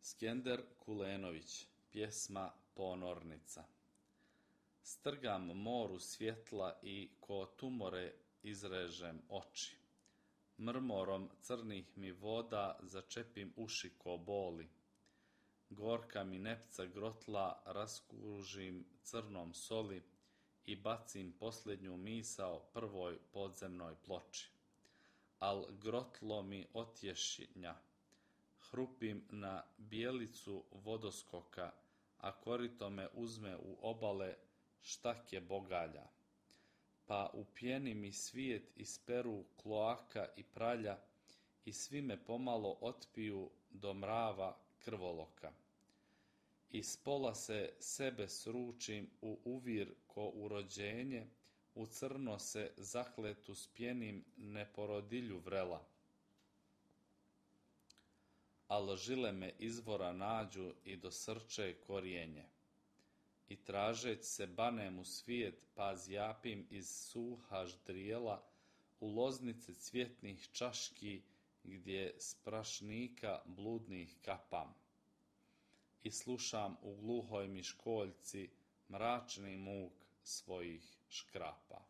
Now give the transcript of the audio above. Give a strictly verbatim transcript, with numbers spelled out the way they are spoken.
Skender Kulenović, pjesma Ponornica. Strgam moru svjetla i ko tumore izrežem oči. Mrmorom crnih mi voda začepim uši ko boli. Gorka mi nepca grotla raskužim crnom soli i bacim posljednju misao prvoj podzemnoj ploči. Al grotlo mi otješnja. Hrupim na bijelicu vodoskoka, a korito me uzme u obale štake bogalja. Pa u pjeni mi svijet isperu kloaka i pralja i svi me pomalo otpiju do mrava krvoloka. Iz pola se sebe sručim u uvir ko urođenje, u crno se zakletu spjenim neporodilju vrela. Al žile me izvora nađu i dosrče korijenje. I tražeć se banem u svijet, pa zjapim iz suha ždrijela u loznice cvjetnih čaški, gdje s prašnika bludnih kapam. I slušam u gluhoj mi školjci mračni muk svojih škrapa.